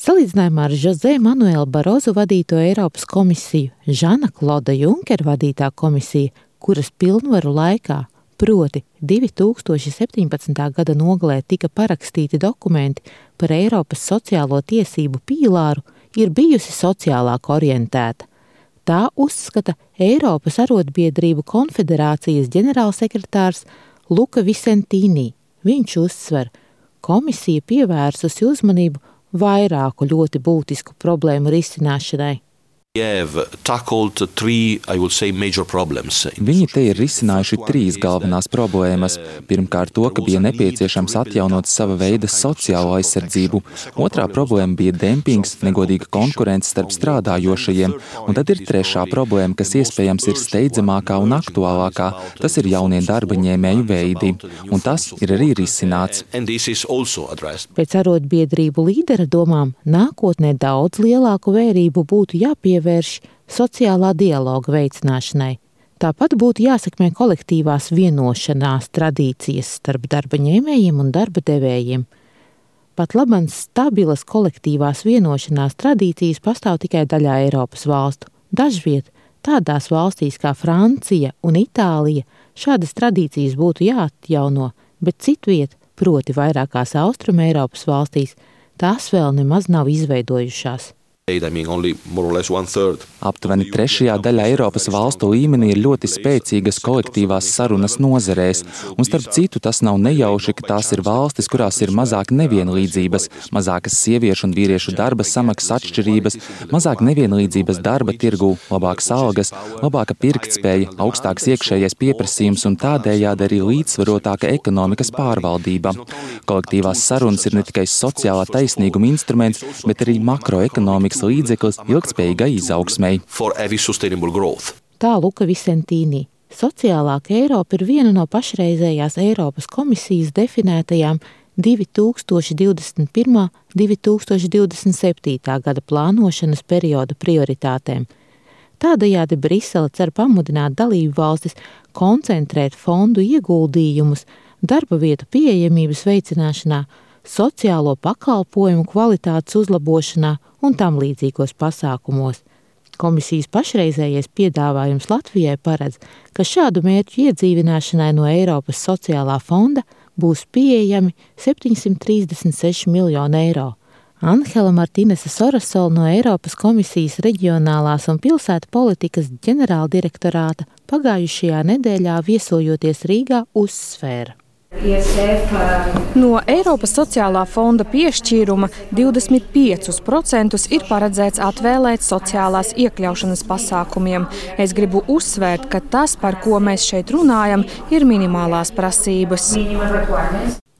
Salīdzinājumā ar José Manuela Barozu vadīto Eiropas komisiju, Žana Kloda Junkera vadītā komisija, kuras pilnvaru laikā, proti 2017. gada nogalē tika parakstīti dokumenti par Eiropas sociālo tiesību pīlāru, ir bijusi sociālāk orientēta. Tā uzskata Eiropas arotbiedrību konfederācijas ģenerālsekretārs Luka Visentīnī. Viņš uzsver, komisija pievērsusi uzmanību vairāku ļoti būtisku problēmu risināšanai. Viņi te ir risinājuši 3 galvenās problēmas. Pirmkārt to, ka bija nepieciešams atjaunot sava veida sociālo aizsardzību. Otrā problēma bija dempings, negodīga konkurence starp strādājošajiem. Un tad ir trešā problēma, kas iespējams ir steidzamākā un aktuālākā. Tas ir jaunie darba ņēmēju veidi. Un tas ir arī risināts. Pēc arotbiedrību līdera domām, nākotnē daudz lielāku vērību būtu jāpievērš sociālā dialoga veicināšanai. Tāpat būtu jāsekmē kolektīvās vienošanās tradīcijas starp darba ņēmējiem un darba devējiem. Pat labam stabilas kolektīvās vienošanās tradīcijas pastāv tikai daļā Eiropas valstu. Dažviet tādās valstīs kā Francija un Itālija šādas tradīcijas būtu jāatjauno, bet citviet, proti vairākās Austrum Eiropas valstīs, tās vēl nemaz nav izveidojušās. Aptuveni trešajā daļā Eiropas valstu līmenī ir ļoti spēcīgas kolektīvās sarunas nozarēs, un starp citu tas nav nejauši, ka tās ir valstis, kurās ir mazāk nevienlīdzības, mazākas sieviešu un vīriešu darba samaksas atšķirības, mazāk nevienlīdzības darba tirgū, labākas algas, labāka pirktspēja, augstāks iekšējais pieprasījums un tādējādi arī līdzsvarotāka ekonomikas pārvaldība. Kolektīvās sarunas ir ne tikai sociālā taisnīguma instruments, bet arī makroekonomikas līdzeklis ilgtspējīgai izaugsmei. Tā Luka Visentīnī. Sociālāka Eiropa ir viena no pašreizējās Eiropas komisijas definētajām 2021. 2027. gada plānošanas perioda prioritātēm. Tādējādi Brisele cer pamudināt dalību valstis koncentrēt fondu ieguldījumus darba vietu pieejamības veicināšanā, sociālo pakalpojumu kvalitātes uzlabošanā un tam līdzīgos pasākumos. Komisijas pašreizējais piedāvājums Latvijai paredz, ka šādu mērķu iedzīvināšanai no Eiropas sociālā fonda būs pieejami 736 miljoni eiro. Anhela Martinese Sorasola no Eiropas komisijas reģionālās un pilsētu politikas ģenerāldirektorāta pagājušajā nedēļā viesojoties Rīgā uzsvēra. No Eiropas sociālā fonda piešķīruma 25% ir paredzēts atvēlēt sociālās iekļaušanas pasākumiem. Es gribu uzsvērt, ka tas, par ko mēs šeit runājam, ir minimālās prasības.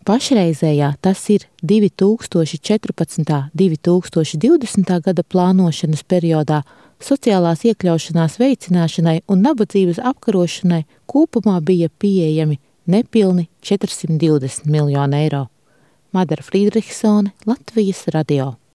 Pašreizējā tas ir 2014. 2020. gada plānošanas periodā sociālās iekļaušanās veicināšanai un nabadzības apkarošanai kopumā bija pieejami nepilni 420 miljoni eiro. Madara Frīdrihsone, Latvijas radio.